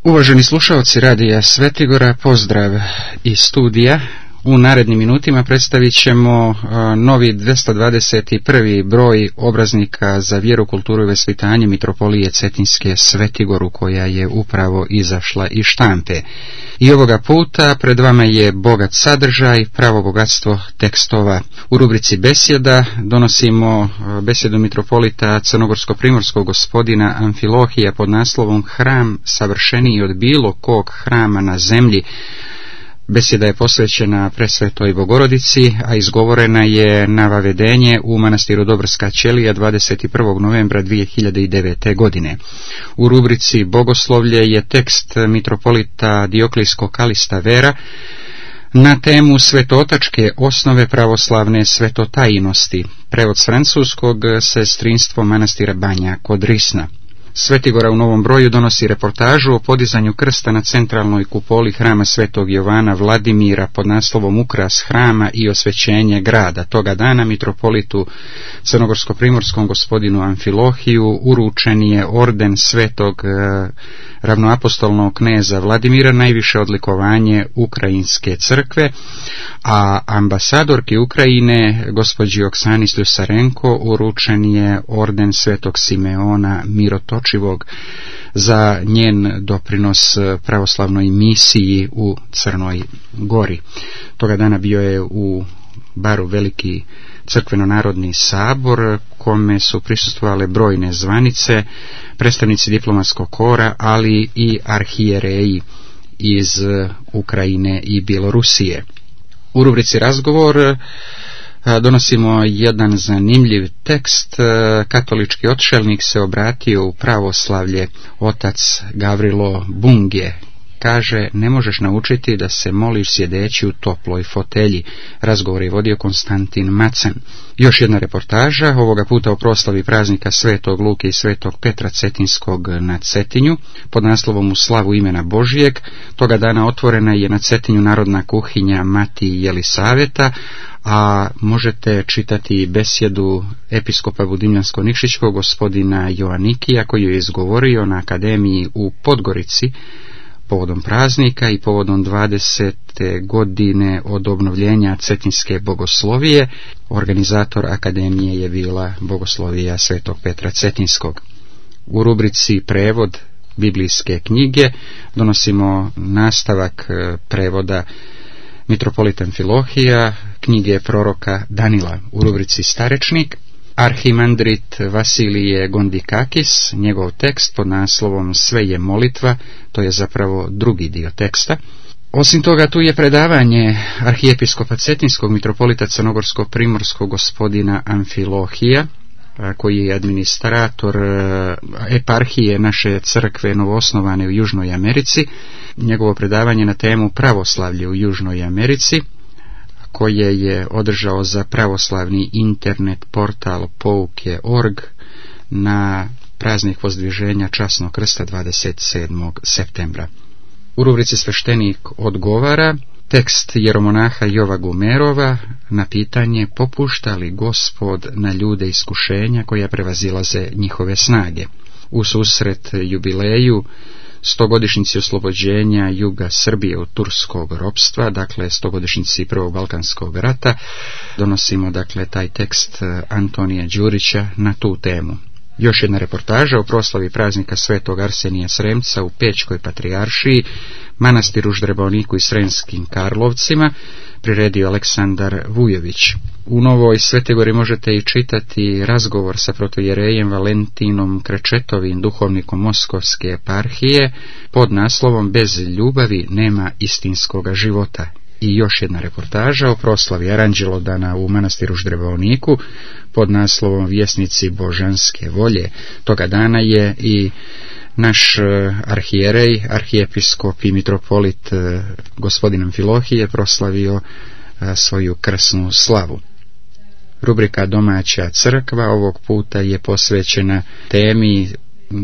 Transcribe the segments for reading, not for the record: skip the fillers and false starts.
Uvaženi slušalci Radija Svetigora, pozdrav iz studija. U narednim minutima predstavit ćemo novi 221. broj obraznika za vjeru, kulturu i vaspitanje Mitropolije Cetinske Svetigoru, koja je upravo izašla iz štampe. I ovoga puta pred vama je bogat sadržaj, pravo bogatstvo tekstova. U rubrici besjeda donosimo besjedu mitropolita crnogorsko-primorskog gospodina Amfilohija pod naslovom Hram savršeniji od bilo kog hrama na zemlji. Besjeda je posvećena Presvetoj Bogorodici, a izgovorena je na vavedenje u manastiru Dobrska ćelija 21. novembra 2009. godine. U rubrici Bogoslovlje je tekst mitropolita Dioklijskog Kalista Vera na temu svetootačke osnove pravoslavne svetotajnosti, prevod s francuskog, sestrinstvo manastira Banja kod Risna. Svetigora u novom broju donosi reportažu o podizanju krsta na centralnoj kupoli hrama Svetog Jovana Vladimira pod naslovom Ukras hrama i osvećenje grada. Toga dana mitropolitu crnogorsko-primorskom gospodinu Amfilohiju uručen je orden Svetog ravnoapostolnog kneza Vladimira, najviše odlikovanje Ukrajinske crkve, a ambasadorki Ukrajine gospođi Oksani Sljusarenko uručen je orden Svetog Simeona Mirotočivog za njen doprinos pravoslavnoj misiji u Crnoj Gori. Toga dana bio je u Baru veliki crkveno-narodni sabor, kome su prisustvovale brojne zvanice, predstavnici diplomatskog kora, ali i arhijereji iz Ukrajine i Bjelorusije. U rubrici Razgovor donosimo jedan zanimljiv tekst. Katolički odšelnik se obratio u pravoslavlje, otac Gavrilo Bungje. Kaže, ne možeš naučiti da se moliš sjedeći u toploj fotelji. Razgovor je vodio Konstantin Macen. Još jedna reportaža, ovoga puta o proslavi praznika Svetog Luke i Svetog Petra Cetinskog na Cetinju, pod naslovom U slavu imena Božijeg. Toga dana otvorena je na Cetinju narodna kuhinja Mati Jelisaveta, a možete čitati besjedu episkopa Budimljansko-Nikšićkog gospodina Joanikija, koji je izgovorio na akademiji u Podgorici povodom praznika i povodom 20. godine od obnovljenja Cetinske bogoslovije. Organizator akademije je bila Bogoslovija Svetog Petra Cetinskog. U rubrici Prevod biblijske knjige donosimo nastavak prevoda mitropolita Amfilohija knjige proroka Danila. U rubrici Starečnik arhimandrit Vasilije Gondikakis, njegov tekst pod naslovom Sve je molitva, to je zapravo drugi dio teksta. Osim toga, tu je predavanje arhijepiskopa Cetinskog mitropolita crnogorsko-primorskog gospodina Amfilohija, koji je administrator eparhije naše crkve novoosnovane u Južnoj Americi. Njegovo predavanje na temu pravoslavlje u Južnoj Americi, koje je održao za pravoslavni internet portal pouke.org na praznik Vozdviženja Časnog krsta 27. septembra. U rubrici Sveštenik odgovara tekst jeromonaha Jova Gumerova na pitanje popušta li Gospod na ljude iskušenja koja prevazilaze njihove snage. U susret jubileju 100-godišnjici oslobođenja juga Srbije od turskog ropstva, dakle 100-godišnjici Prvog Balkanskog rata, donosimo dakle taj tekst Antonija Đurića na tu temu. Još jedna reportaža o proslavi praznika Svetog Arsenija Sremca u Pećkoj patrijaršiji, manastiru Ždrebovniku i Sremskim Karlovcima, priredio Aleksandar Vujović. U Novoj Svetigori možete i čitati razgovor sa protojerejem Valentinom Krečetovim, duhovnikom Moskovske eparhije, pod naslovom Bez ljubavi nema istinskoga života. I još jedna reportaža o proslavi Aranđelodana u manastiru Ždrebovniku pod naslovom Vjesnici božanske volje. Toga dana je i naš arhijerej, arhijepiskop i mitropolit gospodin Amfilohije proslavio svoju krsnu slavu. Rubrika Domaća crkva ovog puta je posvećena temi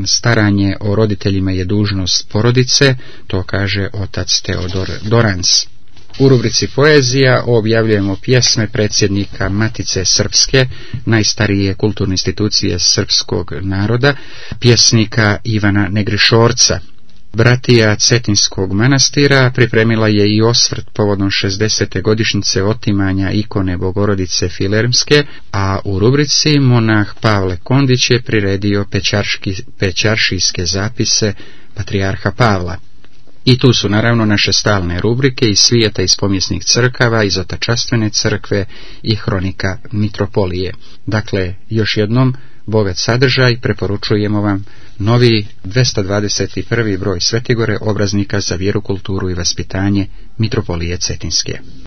staranje o roditeljima je dužnost porodice, to kaže otac Teodor Dorans. U rubrici Poezija objavljujemo pjesme predsjednika Matice Srpske, najstarije kulturne institucije srpskog naroda, pjesnika Ivana Negrišorca. Bratija Cetinskog manastira pripremila je i osvrt povodom 60. godišnjice otimanja ikone Bogorodice Filermske, a u rubrici monah Pavle Kondić je priredio pećaršijske zapise patrijarha Pavla. I tu su naravno naše stalne rubrike iz svijeta iz povijesnih crkava, iz Otačastvene crkve i hronika mitropolije. Dakle, još jednom, bogat sadržaj, preporučujemo vam novi 221. broj Svetigore, obraznika za vjeru, kulturu i vaspitanje mitropolije Cetinske.